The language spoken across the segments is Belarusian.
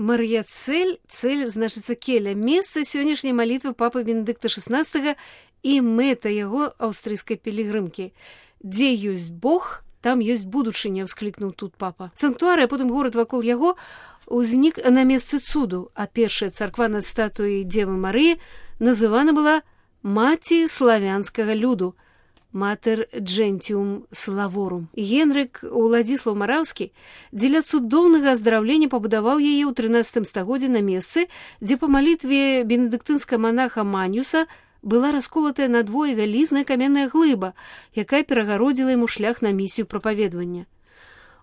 Мар'яцель, цель, значыцца келя, месца сённяшняй малітвы папы Бенедыкта XVI і мэта яго аўстрыйскай пілігрымкі. Дзе ёсць Бог, там ёсць будучыня, ўсклікнуў тут папа. Санктуар, а потым горад вакол яго узнік на месцы цуду, а першая царква над статуяй Дзевы Марыі называна была маці славянскага люду, Mater Gentium Slavorum. Генрык Уладзіслаў Мараўскі дзеля цудоўнага аздараўлення пабудаваў яе ў 13 стагоддзі на месцы, дзе па малітве бенедыктынскага манаха Маніуса была расколатая надвое вялізная каменная глыба, якая перагародзіла яму шлях на місію прапаведвання.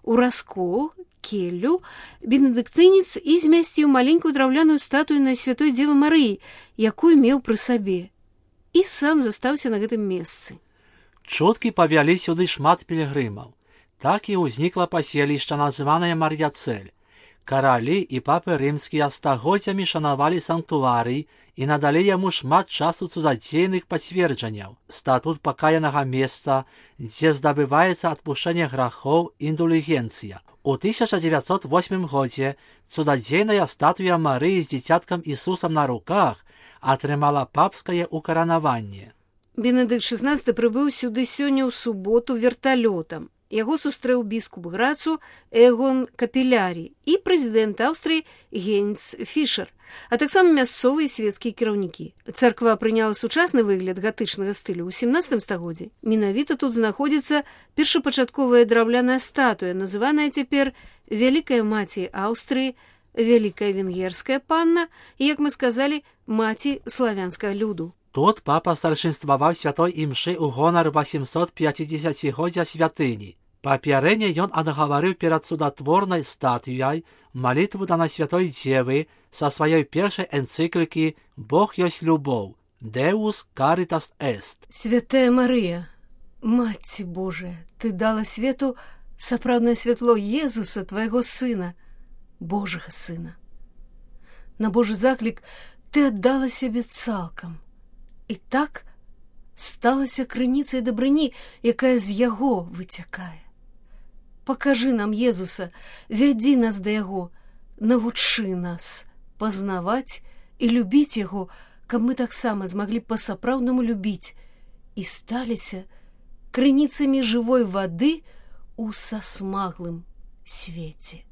У раскол, келлю, бенедыктынец і змясціў маленькую драўляную статую на святой Дзевы Марыі, якую меў пры сабе, і сам застаўся на гэтым месцы. Чуткі павялі сюды шмат пілігрымаў. Так і ўзнікла паселішча, названае Мар'яцель. Каралі і папы рымскія стагоддзямі шанавалі санктуарый і надалі яму шмат часу цудадзейных пацверджанняў. Статут пакаянага месца, дзе здабываецца адпушчэнне грахоў, індулігенцыя. У 1908 годзе цудадзейная статуя Марыі з дзіцяткам Ісусам на руках атрымала папскае укаранаванне. Бенедыкт XVI прыбыў сюды сёння ў суботу верталётам. Яго сустрэў біскуп Грацу Эгон Капілярі і прэзідэнт Аўстрыі Гейнц Фішер, а таксама мясцовыя свецкія кіраўнікі. Царква прыняла сучасны выгляд гатычнага стылю ў 17 стагоддзі. Менавіта тут знаходзіцца першапачатковая драўляная статуя, называная цяпер Вялікая маці Аўстрыі, Вялікая венгерская панна і, як мы сказалі, маці славянскага люду. Тут папа старшынстваваў святой імшы ў гонар 850-годдзя святыні. Папярэдне ён адгаварыў перад цудатворнай статуяй малітву да на святой Дзевы са сваёй першай энцыклікі «Бог ёсць любоў» «Deus caritas est». Святая Марыя, Маці Божая, ты дала свету сапраўднае святло Езуса, твайго сына, Божага сына. На Божы заклік ты аддала сябе цалкам. І так сталася крыніцай дабрыні, якая з яго выцякае. Пакажы нам Езуса, вядзі нас да яго, навучы нас пазнаваць і любіць яго, каб мы таксама змаглі па-сапраўднаму любіць і сталіся крыніцамі жывой вады ў сасмаглым свеце.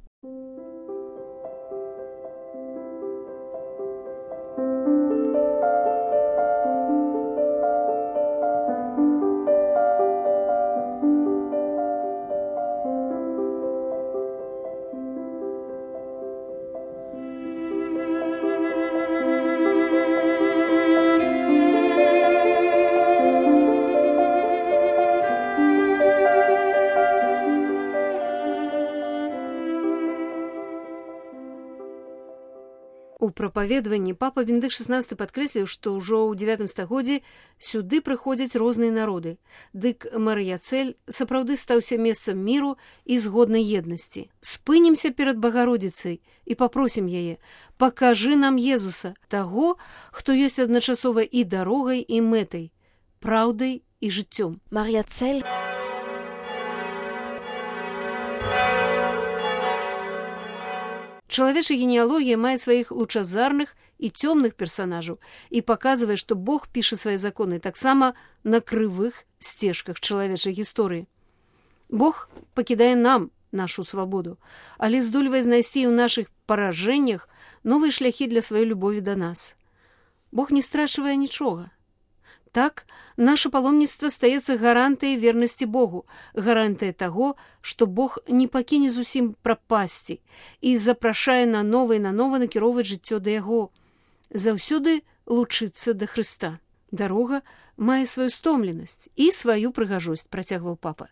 У прапаведванні папа Бенедыкт XVI падкрэсліў, што ўжо ў 9 стагоддзі сюды прыходзяць розныя народы. Дык Мар'яцель сапраўды стаўся месцам міру і згоднай еднасці. Спынімся перад Багародзіцай і папросім яе: пакажы нам Езуса, таго, хто ёсць адначасова і дарогай, і мэтай, праўдай і жыццём. Мар'яцель. Чалавечая генеалогія мае сваіх лучазарных і цёмных персанажаў і паказвае, што Бог піша свае законы таксама на крывых сцежках чалавечай гісторыі. Бог пакідае нам нашу свабоду, але здольвае знайсці ў нашых паражэннях новыя шляхі для сваёй любові да нас. Бог не страчвае нічога. Так, наше паломніцтва стаецца гарантыяй вернасці Богу, гарантыя таго, што Бог не пакіне зусім прапасці і запрашае нанова і нанова накіроўваць жыццё да яго, заўсёды лучыцца да Хрыста. Дарога мае сваю стомленасць і сваю прыгажосць, працягваў папа.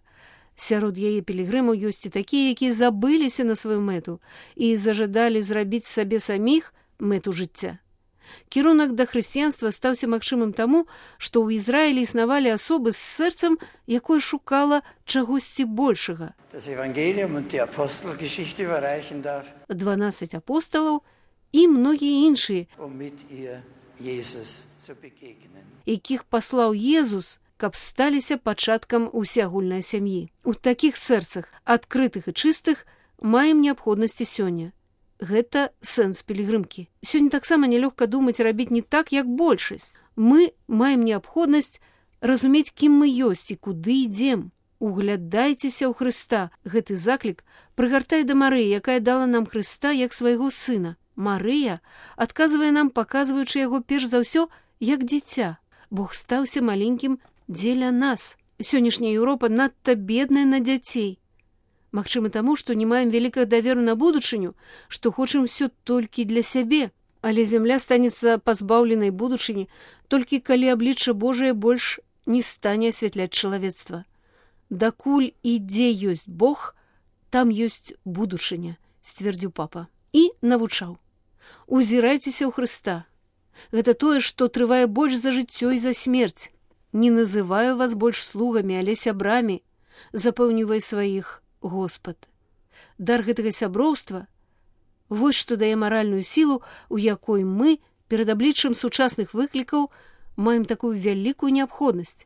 Сярод яе пілігрымаў ёсць і такія, якія забыліся на сваю мэту і зажадалі зрабіць сабе саміх мэту жыцця. Кірунак да хрысціянства стаўся магчымым таму, што ў Ізраілі існавалі асобы з сэрцам, якое шукала чагосьці большага. 12 апосталаў і многія іншыя, якіх паслаў Езус, каб сталіся пачаткам усеагульнай сям'і. У такіх сэрцах, адкрытых і чыстых, маем неабходнасці сёння. Гэта сэнс пілігрымкі. Сёння таксама нялёгка думаць і рабіць не так, як большасць. Мы маем неабходнасць разумець, кім мы ёсць і куды ідзем. Углядайцеся ў Хрыста. Гэты заклік прыгартае да Марыі, якая дала нам Хрыста як свайго сына. Марыя адказвае нам, паказваючы яго перш за ўсё як дзіця. Бог стаўся маленькім дзеля нас. Сённяшняя Еўропа надта бедная на дзяцей. Магчыма таму, што не маем вялікага даверу на будучыню, што хочам усё толькі для сябе. Але зямля станецца пазбаўленай будучыні, толькі калі аблічча Божае больш не стане асвятляць чалавецтва. Дакуль і дзе ёсць Бог, там ёсць будучыня, сцвердзіў папа. І навучаў. Узірайцеся ў Хрыста. Гэта тое, што трывае больш за жыццё і за смерць. Не называю вас больш слугамі, але сябрамі, запэўнівае сваіх Господ. Дар гэтага сяброўства — вось што дае маральную сілу, у якой мы перад абліччам сучасных выклікаў маем такую вялікую неабходнасць.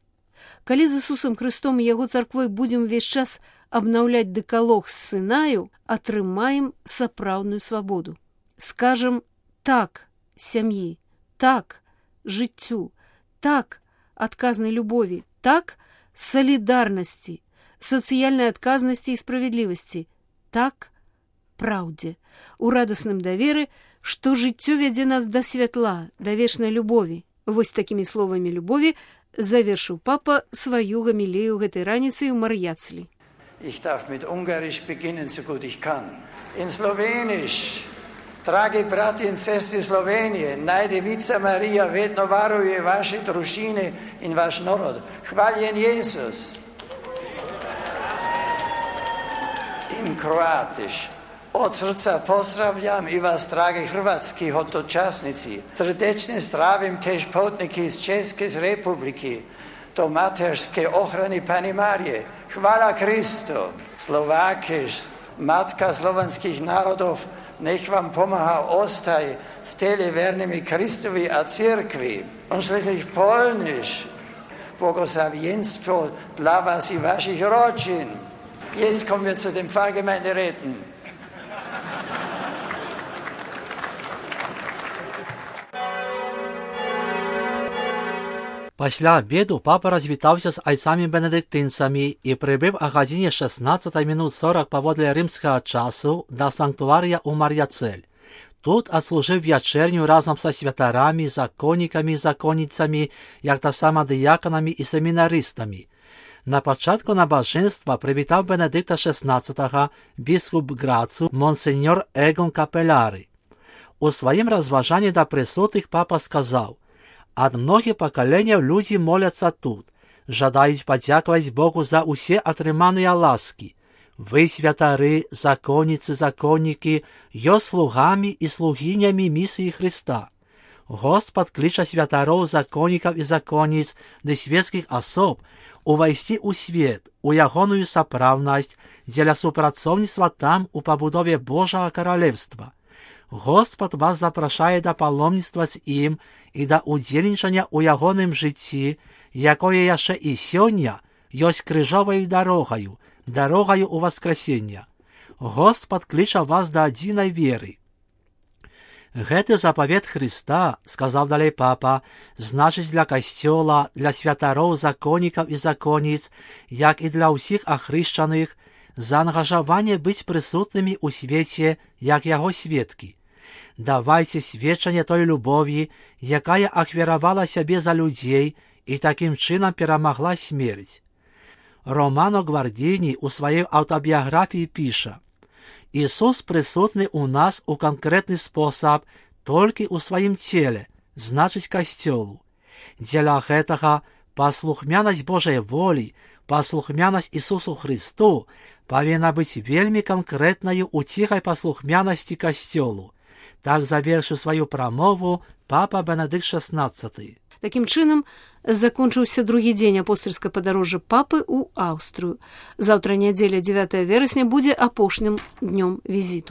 Калі з Ісусам Хрыстом і яго царквой будзем увесь час абнаўляць дэкалог з Сынаю, атрымаем сапраўдную свабоду. Скажам так сям'і, так жыццю, так адказнай любові, так салідарнасці, сацыяльнай адказнасці і справядлівасці, так праўдзе, у радасным даверы, што жыццё вядзе нас да святла, да вечнай любові. Вось такімі словамі любові завершыў папа сваю гамілею гэтай раніцай у Мар'яцлі. Ich darf mit Ungarisch beginnen, so gut ich kann. In Slowenisch, dragi brati in sestri Slovenije, najdevica Marija vedno varuje vaše družine in vaš narod. Hvaljen Jezus. In Kroatisch, od srca pozdravljam i vas, dragi hrvatski hodočasnici. Srdečne zdravim tež potniki iz České republiky do materské ochrany Pani Marije. Chvála Kristu. Slovákiš, matka slovanských národov, nech vám pomáha ostaj stele vernými Kristovi a církvi. Und schließlich Polnisch, błogosławieństwo dla was i waszych rodzin. Jetzt kommen wir zu den Pfarrgemeinderäten. Пасля обеду папа развітаўся з айцамі-бенедыктынцамі і прыбыў о гадзіне 16:40 паводле рымскага часу да санктуарыя ў Мар'яцэль. Тут адслужыў вячэрню разам са святарамі, законнікамі і законніцамі, як таксама дыяканамі і семінарыстамі. На пачатку набажэнства прывітаў Бенедыкта XVI біскуп Грацу монсеньор Эгон Капеляры. У сваім разважанні да прысутных папа сказаў: «Ад многіх пакаленняў людзі моляцца тут, жадаюць падзякаваць Богу за ўсе атрыманыя ласкі. Вы, святары, законніцы, законнікі, ёсць слугамі і слугінямі місіі Хрыста. Господ кліча святароў, законнікаў і законніц ды свецкіх асоб увайсці ў свет, у ягоную сапраўднасць, дзеля супрацоўніцтва там у пабудове Божага каралевства. Господ вас запрашае да паломніцтва з ім і да ўдзельнічання ў ягоным жыцці, якое яшчэ і сёння ёсць крыжоваю дарогаю, дарогаю ў васкрасення. Господ кліча вас да адзінай веры». Гэты запавет Хрыста, сказаў далей папа, значыць для касцёла, для святароў, законнікаў і законніц, як і для ўсіх ахрышчаных, заангажаванне быць прысутнымі ў свеце, як яго сведкі. Давайце сведчанне той любові, якая ахвяравала сябе за людзей і такім чынам перамагла смерць. Романо Гвардіні ў сваёй аўтабіяграфіі піша: «Ісус прысутны ў нас у канкрэтны спосаб толькі ў сваім целе, значыць касцёлу. Дзеля гэтага паслухмянасць Божай волі, паслухмянасць Ісусу Хрысту павінна быць вельмі канкрэтнаю ў ціхай паслухмянасці касцёлу». Так завершыў сваю прамову папа Бенедыкт XVI. Такім чынам закончыўся другі дзень апостальскага падарожжа папы ў Аўстрыю. Заўтра нядзеля 9 верасня будзе апошнім днём візіту.